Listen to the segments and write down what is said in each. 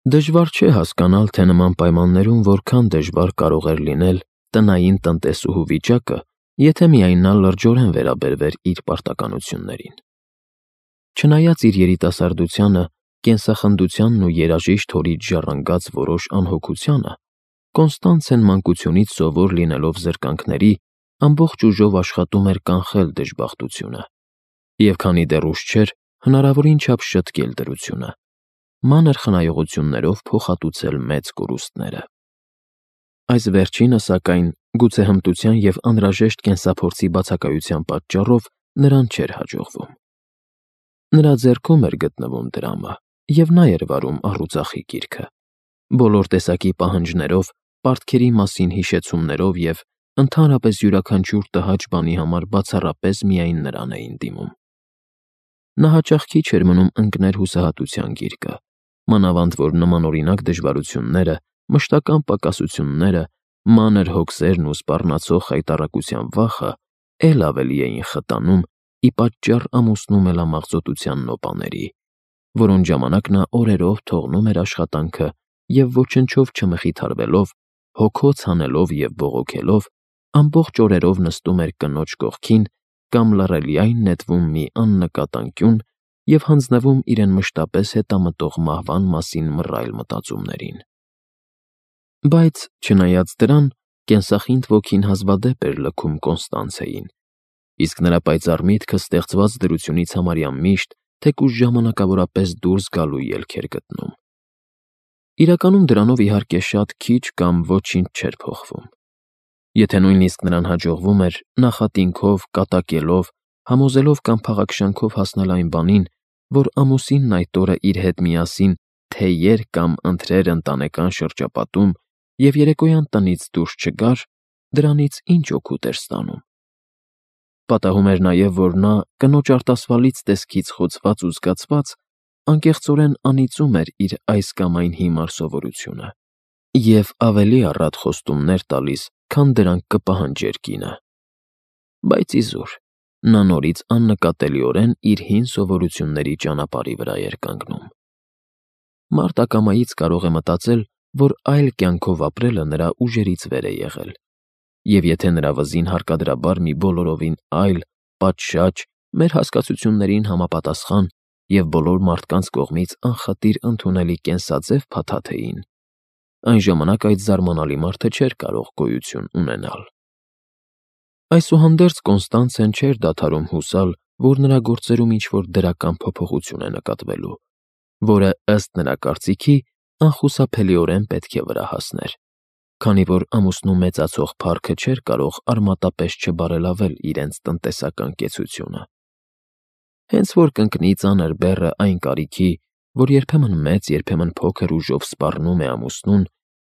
Դժվար չէ հասկանալ, թե նման պայմաններում որքան դժվար կարող էր լինել տնային տնտեսուհու վիճակը, եթե միայն նա լրջորեն վերաբերվեր իր պարտականություններին։ Չնայած իր երիտասարդությանը, կենսախնդությանն ու երաժիշտ հորից ժառանգած որոշ անհոգությանը, Կոնստանցեն մանկությունից սովոր լինելով զրկանքների, ամբողջ ուժով աշխատում էր կանխել դժբախտությունը, և քանի դեռ ուշ չէր, հնարավորին չափ շտկել դրությունը, մանր խնայողություններով փոխհատուցել մեծ կորուստները։ Այս վերջինը, սակայն, գուցե հմտության և անհրաժեշտ կենսափորձի բացակայության պատճառով նրան չէր հաջողվում։ Նրա ձեռքում էր գտնվում դրամը, և նա էր վարում առուծախի գիրքը, բոլոր տեսակի պահանջներով, պարտքերի մասին հիշեցումներով և ընդհանրապես յուրաքանչյուր տհաճ բանի համար բացառապես միայն նրան էին դիմում։ Նա հաճախ քիչ էր մնում ընկներ հուսահատության գիրկը, մանավանդ որ նմանօրինակ դժվարությունները, մշտական պակասությունները, մանր հոգսերն ու սպառնացող խայտառակության վախը էլ ավելի էին խտանում ի պատճառ ամուսնու մելամաղձոտության նոպաների, որոնց ժամանակ նա օրերով թողնում էր աշխատանքը և ոչնչով չմխիթարվելով, հոգոց հանելով և բողոքելով, ամբողջ օրերով նստում էր կնոջ կողքին կամ լռելիայն նետվում մի աննկատ անկյուն և հանձնվում իրեն մշտապես հետամտող մահվան մասին մռայլ մտածումներին։ Բայց, չնայած դրան, կենսախինդ ոգին հազվադեպ էր լքում Կոնստանցեին, իսկ նրա պայծառ միտքը ստեղծված դրությունից համարյա միշտ, թեկուզ ժամանակավորապես դուրս գալու ելք էր գտնում։ Իրականում դրանով իհարկե շատ քիչ կամ ոչինչ չէր փոխվում։ Եթե նույնիսկ նրան հաջողվում էր նախատինքով, կատակելով, համոզելով կամ փաղաքշանքով հասնել այն բանին, որ ամուսինն այդ օրը իր հետ միասին թեյեր կամ ընթրեր ընտանեկան շրջապատում և երեկոյան տնից դուրս չգար, դրանից ինչ օգուտ էր ստանում։ Պատահում էր նաև, որ նա, կնոջ արտասվալից տեսքից խոցված ու զգացված, անկեղծորեն անիծում էր իր այս կամ այն հիմար սովորությունը և ավելի առատ խոստումներ տալիս, քան դրանք կպահանջեր կինը։ Բայց իզուր, նա նորից աննկատելիորեն իր հին սովորությունների ճանապարհի վրա էր կանգնում։ Մարդ ակամայից կարող է մտածել, որ այլ կյանքով ապրելը նրա ուժերից վեր է եղել, և եթե նրա վզին հարկադրաբար մի բոլորովին այլ, պատշաճ, մեր հասկացություններին համապատասխան և բոլոր մարդկանց կողմից անխտիր ընդունելի կենսաձև փաթաթեին, այն ժամանակ այդ զարմանալի մարդը չէր կարող գոյություն ունենալ։ Այսուհանդերձ Կոնստանցեն չէր դադարում հուսալ, որ նրա գործերում ինչ-որ դրական փոփոխություն է նկատվելու, որը, ըստ նրա կարծիքի, անխուսափելիորեն պետք է վրա հասներ, քանի որ ամուսնու մեծացող փառքը չէր կարող արմատապես չբարելավել իրենց տնտեսական կեցությունը։ Հենց որ կընկնի ծանր բեռը այն կարիքի, որ երբեմն մեծ, երբեմն փոքր ուժով սպառնում է ամուսնուն,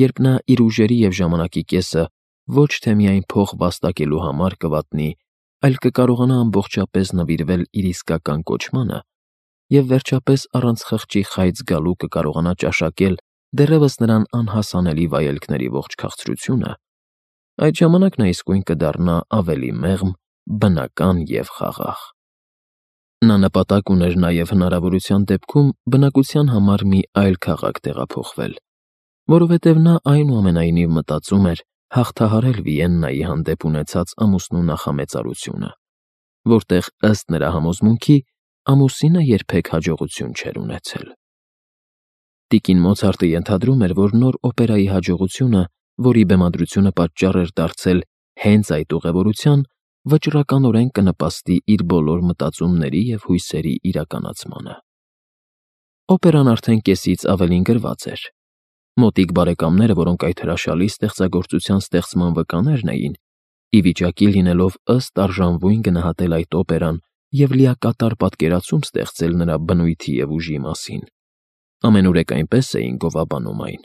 երբ նա իր ուժերի և ժամանակի կեսը ոչ թե միայն փող վաստակելու համար կվատնի, այլ կկարողանա ամբողջապես նվիրվել իր իսկական կոչմանը և վերջապես առանց խղճի խայծ գալու կկարողանա ճաշակել դեռևս նրան անհասանելի վայելքների ողջ քաղցրությունը, այդ ժամանակ նա իսկույն կդառնա ավելի մեղմ, բնական և խաղաղ։ Նա նպատակ ուներ նաև հնարավորության դեպքում բնակության համար մի այլ քաղաք տեղափոխվել, որովհետև նա այնուամենայնիվ մտածում էր հաղթահարել Վիեննայի հանդեպ ունեցած ամուսնու նախամեծարությունը, որտեղ, ըստ նրա համոզմունքի, ամուսինը երբեք հաջողություն չէր ունեցել։ Տիկին Մոցարտը ենթադրում էր, որ նոր օպերայի հաջողությունը, որի բեմադրությունը պատճառ էր դարձել հենց այդ ուղևորության, վճռականորեն կնպաստի իր բոլոր մտածումների և հույսերի իրականացմանը։ Օպերան արդեն կեսից ավելին գրված էր։ Մոտիկ բարեկամները, որոնք այդ հրաշալի ստեղծագործության ստեղծման վկաներն էին, ի վիճակի լինելով ըստ արժանվույն գնահատել այդ օպերան և լիակատար պատկերացում ստեղծել նրա բնույթի և ուժի մասին, ամենուրեք այնպես էին գովաբանում այն,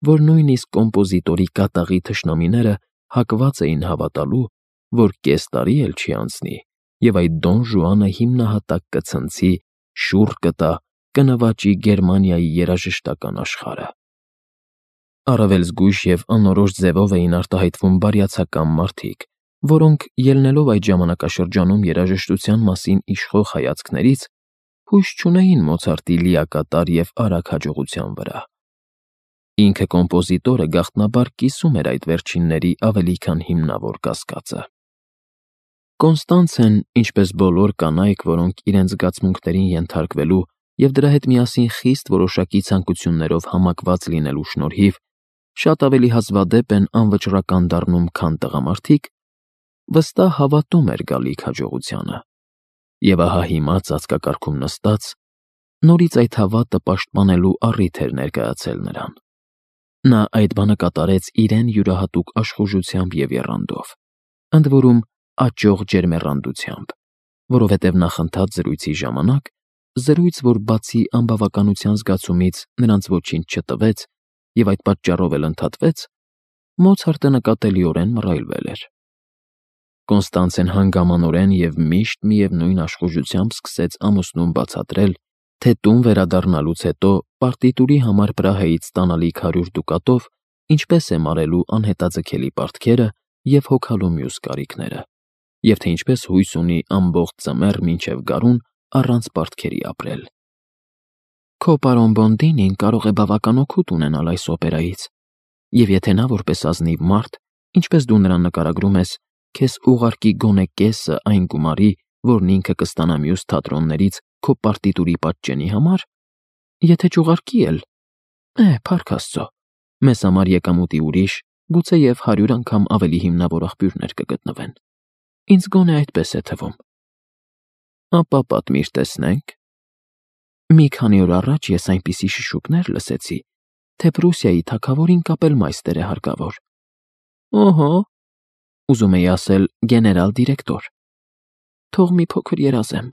որ նույնիսկ կոմպոզիտորի կատաղի թշնամիները հակված էին հավատալու, որ կես տարի էլ չի անցնի, և այդ Դոն Ժուանը հիմնահատակ կցնցի, շուռ կտա, կնվաճի Գերմանիայի երաժշտական աշխարհը։ Առավել զգույշ և անորոշ ձևով էին արտահայտվում բարյացակամ մարդիկ, որոնք, ելնելով այդ ժամանակաշրջանում երաժշտության մասին իշխող հայացքներից, հույս չունեին Մոցարտի լիակատար և արագ հաջողության վրա, Ինքը կոմպոզիտորը գաղտնաբար կիսում էր այդ վերջինների ավելի քան հիմնավոր կասկածը։ Կոնստանցեն, ինչպես բոլոր կանայք, որոնք իրենց զգացմունքներին ենթարկվելու և դրա հետ միասին խիստ որոշակի ցանկություններով համակված լինելու շնորհիվ, շատ ավելի հազվադեպ են անվճռական դառնում, քան տղամարդիկ, վստահ հավատում էր գալիք հաջողությանը։ Եվ ահա հիմա ծածկակարգում նստած, նորից այդ հավատը պաշտպանելու առիթ էր ներկայացել նրան։ Նա այդ բանը կատարեց իրեն յուրահատուկ աշխուժությամբ և եռանդով, ընդ որում աճող ջերմեռանդությամբ, որովհետև նախընթաց զրույցի ժամանակ, զրույց, որ բացի անբավականության զգացումից նրանց ոչինչ չտվեց և այդ պատճառով էլ ընդհատվեց, Մոցարտը նկատելիորեն մռայլվել էր։ Կոնստանցեն հանգամանորեն և միշտ միևնույն աշխուժությամբ սկսեց ամուսնուն բացատրել, թե տուն վերադառնալուց հետո պարտիտուրի համար Պրահայից ստանալիք 100 դուկատով ինչպես է մարելու անհետաձգելի պարտքերը և հոգալու մյուս կարիքները, և թե ինչպես հույս ունի ամբողջ ձմեռ մինչև գարուն առանց պարտքերի ապրել։ Քո պարոն Բոնդինին կարող է բավական օգուտ ունենալ այս օպերայից, և եթե նա որպես ազնիվ մարդ, ինչպես դու նրան նկարագրում ես, քեզ ուղարկի գոնե կեսը այն գումարի, որն ինքը կստանա մյուս թատրոններից քո պարտիտուրի պատճենի համար, եթե չուղարկի էլ, փառք Աստծո, մեզ համար եկամուտի ուրիշ, գուցեև 100 անգամ ավելի հիմնավոր աղբյուրներ կգտնվեն։ Ինձ գոնե այդպես է թվում։ Ապա պատմիր տեսնենք։ Մի քանի օր առաջ ես այնպիսի շշուկներ լսեցի, թե Պրուսիայի թագավորին կապել մայստեր է հարկավոր։ Օհո, ուզում էի ասել գեներալ դիրեկտոր։ Թող մի փոքր երազեմ,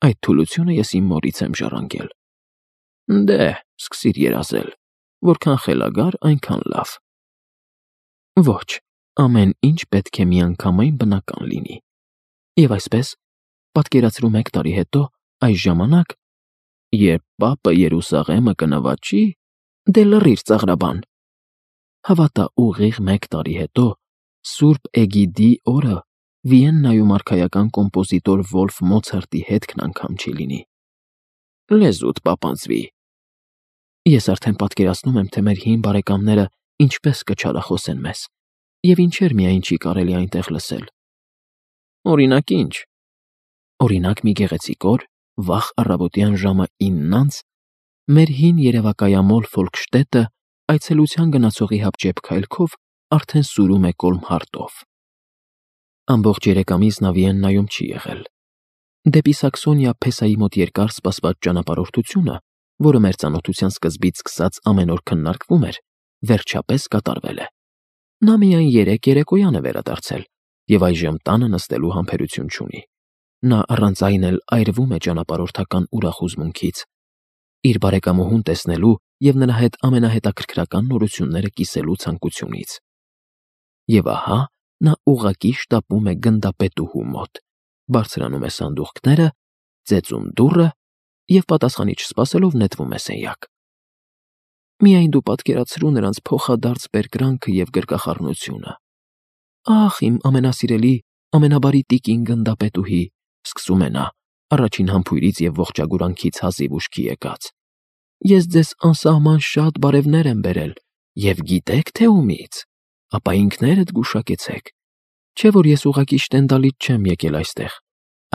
այդ թուլությունը ես իմ մորից եմ ժառանգել։ Դե, սկսիր երազել, որքան խելագար, այնքան լավ։ Ոչ, ամեն ինչ պետք է միանգամայն բնական լինի։ Եվ այսպես, պատկերացրու 1 տարի հետո, այս ժամանակ, երբ պապը Երուսաղեմը կնվաճի, դե լռիր ծաղրաբան։ Հավատա, ուղիղ 1 տարի հետո, Սուրբ Էգիդի օրը Վիեննայում արքայական կոմպոզիտոր Վոլֆ Մոցարտի հետքն անգամ չի լինի։ Լեզուդ պապանձվի։ Ես արդեն պատկերացնում եմ, թե մեր հին բարեկամները ինչպես կչարախոսեն մեզ, և ինչեր միայն չի կարելի այնտեղ լսել։ Օրինակ ինչ։ Օրինակ մի գեղեցիկ օր, վաղ առավոտյան ժամը 9-ից, մեր հին երևակայամոլ Ֆոլկշտետը այցելության գնացողի հապճեպ քայլքով արդեն սուրում է Կոլմհարտով։ Ամբողջ 3 ամիս նա Վիեննայում չի եղել։ Դեպի Սաքսոնիա Փեսայի մոտ երկար սպասված ճանապարհորդությունը, որը մեր ծանոթության սկզբից սկսած ամեն օր քննարկվում էր, վերջապես կատարվել է։ Նա միայն 3 երեկոյան է վերադարձել և այժմ տանը նստելու համբերություն չունի։ Նա առանց այն էլ այրվում է ճանապարհորդական ուրախ հուզմունքից, իր բարեկամուհուն տեսնելու և նրա հետ ամենահետաքրքրական նորությունները կիսելու ցանկությունից։ Եվ ահա նա ուղղակի շտապում է գնդապետուհու մոտ, բարձրանում է սանդուղքները, ծեծում դուռը և պատասխանի չսպասելով նետվում է սենյակ։ Միայն դու պատկերացրու նրանց փոխադարձ բերկրանքը և գրկախառնությունը։ Ախ, իմ ամենասիրելի, ամենաբարի տիկին գնդապետուհի, սկսում է նա, առաջին համբույրից և ողջագուրանքից հազիվ ուշքի եկած։ Ես ձեզ անսահման շատ բարևներ եմ բերել, և գիտեք թե ումից, ապա ինքներդ գուշակեցեք, չէ՞ որ ես ուղղակի Շտենդալից չեմ եկել այստեղ,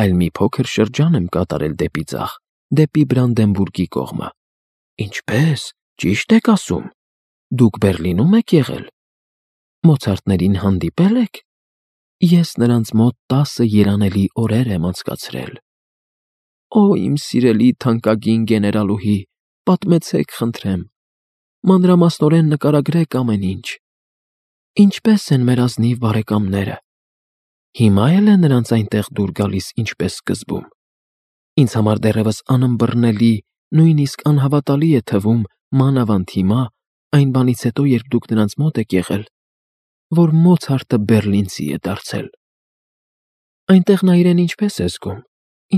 այլ մի փոքր շրջան եմ կատարել դեպի ձախ, դեպի Բրանդենբուրգի կողմը։ Ինչպե՞ս, ճի՞շտ եք ասում։ Դուք Բեռլինում եք եղել։ Մոցարտներին հանդիպե՞լ եք։ Ես նրանց մոտ 10 երանելի օրեր եմ անցկացրել։ Օ, իմ սիրելի թանկագին գեներալուհի, պատմեցեք, խնդրեմ։ Մանրամասնորեն նկարագրեք ամեն ինչ։ Ինչպե՞ս են մեր ազնիվ բարեկամները։ Հիմա էլ է նրանց այնտեղ դուր գալիս ինչպես սկզբում։ Ինձ համար դեռևս անըմբռնելի, նույնիսկ անհավատալի է թվում, մանավանդ հիմա, այն բանից հետո, երբ դուք նրանց մոտ եք եղել, որ Մոցարտը բեռլինցի է դարձել։ Այնտեղ նա իրեն ինչպես է զգում,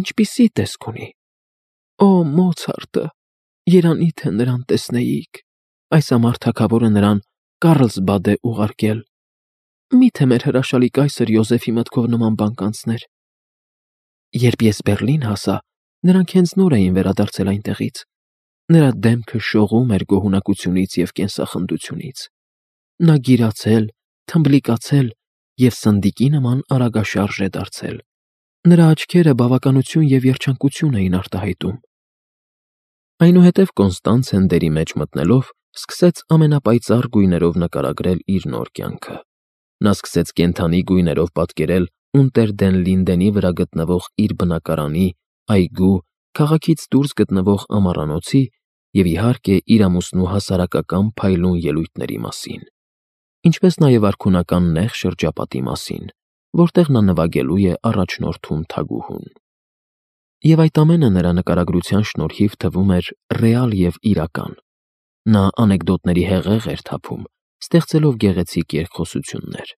ինչպիսի տեսք ունի։ Օ, Մոցարտը, երանի թե նրան տեսնեիք։ Այս ամառ թագավորը նրան Կարլսբադ է ուղարկել։ Մի՞թե մեր հրաշալի կայսր Յոզեֆի մտքով նման բան կանցներ։ Երբ ես Բեռլին հասա, նրանք հենց նոր էին վերադարձել այնտեղից։ Նրա դեմքը շողում էր գոհունակությունից և կենսախնդությունից։ Նա գիրացել, թմբլիկացել և սնդիկի նման արագաշարժ է դարձել։ Նրա աչքերը բավականություն և երջանկություն էին արտահայտում։ Այնուհետև Կոնստանցեն դերի մեջ մտնելով սկսեց ամենապայծառ գույներով նկարագրել իր նոր կյանքը։ Նա սկսեց կենդանի գույներով պատկերել Ունտեր դեն Լինդենի վրա գտնվող իր բնակարանի, այգու, քաղաքից դուրս գտնվող ամառանոցի և, իհարկե, իր ամուսնու հասարակական փայլուն ելույթների մասին, ինչպես նաև արքունական նեղ շրջապատի մասին, որտեղ նա նվագելու է առաջնորդում թագուհուն։ Եվ այդ ամենը նրա նկարագրության շնորհիվ թվում էր ռեալ և իրական։ Նա անեկդոտների հեղեղ էր թափում, ստեղծելով գեղեցիկ երկխոսություններ։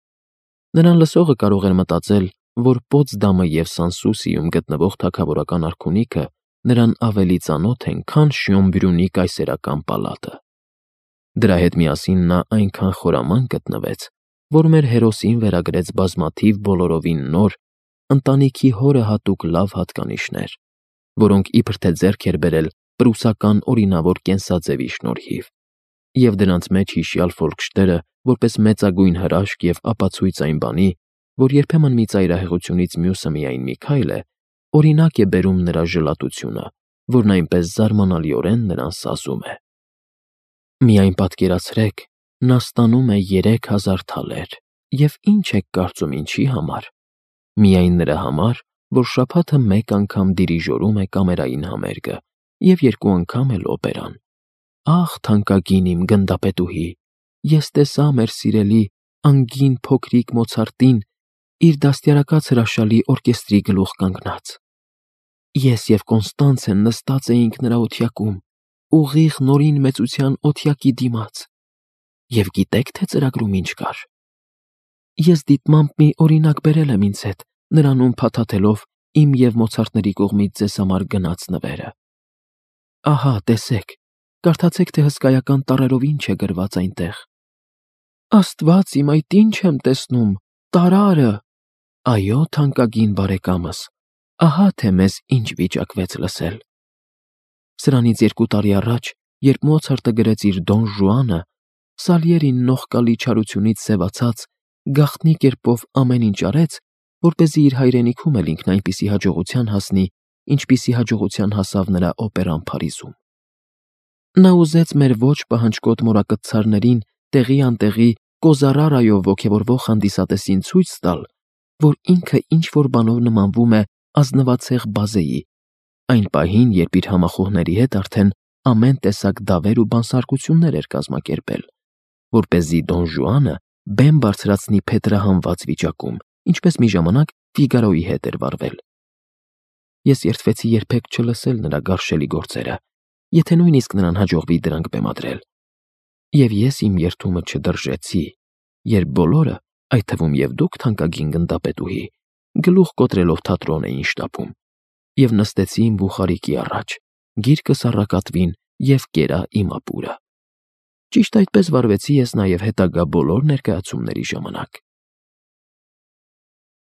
Նրան լսողը կարող էր մտածել, որ Պոտսդամը և Սանսուսիում գտնվող թագավորական արքունիքը նրան ավելի ծանոթ են, քան Շյոնբրյունի կայսերական պալատը։ Դրա հետ միասին նա այնքան խորամանկ գտնվեց, որ մեր հերոսին վերագրեց բազմաթիվ բոլորովին նոր, ընտանիքի հորը հատուկ լավ հատկանիշներ, որոնք իբր թե ձեռք էր բերել պրուսական օրինավոր կենսաձևի շնորհիվ, և դրանց մեջ հիշյալ Ֆոլկշտերը, որպես մեծագույն հրաշք և ապացույց այն բանի, որ երբեմն մի ծայրահեղությունից մյուսը միայն մի քայլ է, օրինակ է բերում նրա ժլատությունը, որն այնպես զարմանալիորեն նրան սազում է։ Միայն պատկերացրեք, նա ստանում է 3000 թալեր, և ինչ եք կարծում ինչի համար։ Միայն նրա համար, որ շաբաթը մեկ անգամ դիրիժորում է կամերային համերգը և 2 անգամ էլ օպերան։ Ախ, թանկագին իմ գնդապետուհի, ես տեսա մեր սիրելի անգին փոքրիկ Մոցարտին իր դաստիարակած հրաշալի օրկեստրի գլուխ կանգնած։ Ես և Կոնստանցեն նստած էինք նրա օթյակում, ուղիղ Նորին մեծության օթյակի դիմաց։ Եվ գիտե՞ք, թե ծրագրում ինչ կար։ Ես դիտմամբ մի օրինակ բերել եմ ինձ հետ, նրանում փաթաթելով իմ և Մոցարտների կողմից ձեզ համար գնած նվերը։ Ահա, տեսեք, կարդացեք, թե հսկայական տառերով ինչ է գրված այնտեղ։ Աստված իմ, այդ ինչ եմ տեսնում, տարարը։ Այո, թանկագին բարեկամս, ահա թե մեզ ինչ վիճակվեց լսել։ Սրանից 2 տարի առաջ, երբ Մոցարտը գրեց իր Դոն Ժուանը, Սալիերին նողկալի չարությունից սևացած, գաղտնի կերպով ամեն ինչ արեց, որպեսզի իր հայրենիքում էլ ինքն այնպիսի հաջողության հասնի, ինչպիսի հաջողության հասավ նրա օպերան Փարիզում։ Նա ուզեց մեր ոչ պահանջկոտ մորակցարներին տեղի անտեղի Կոզարարայով ոգևորվող հանդիսատեսին ցույց տալ, որ ինքը ինչ-որ բանով նմանվում է ազնվացեղ բազեի, այն պահին, երբ իր համախոհների հետ արդեն ամեն տեսակ դավեր ու բանսարկություններ էր կազմակերպել, որպեսզի Դոն Ժուանը բեմ բարձրացնի փետրահանված վիճակում, ինչպես մի ժամանակ Ֆիգարոյի հետ էր վարվել։ Ես երդվեցի երբեք չլսել նրա գարշելի գործերը, եթե նույնիսկ նրան հաջողվի դրանք բեմադրել։ Եվ ես իմ երդումը չդրժեցի, երբ բոլորը, այդ թվում և դուք, թանկագին գնդապետուհի, գլուխ կոտրելով թատրոն էին շտապում, և նստեցի իմ բուխարիկի առաջ, գիրկս առակատվին և կերա իմ ապուրը։ Ճիշտ այդպես վարվեցի ես նաև հետագա բոլոր ներկայացումների ժամանակ։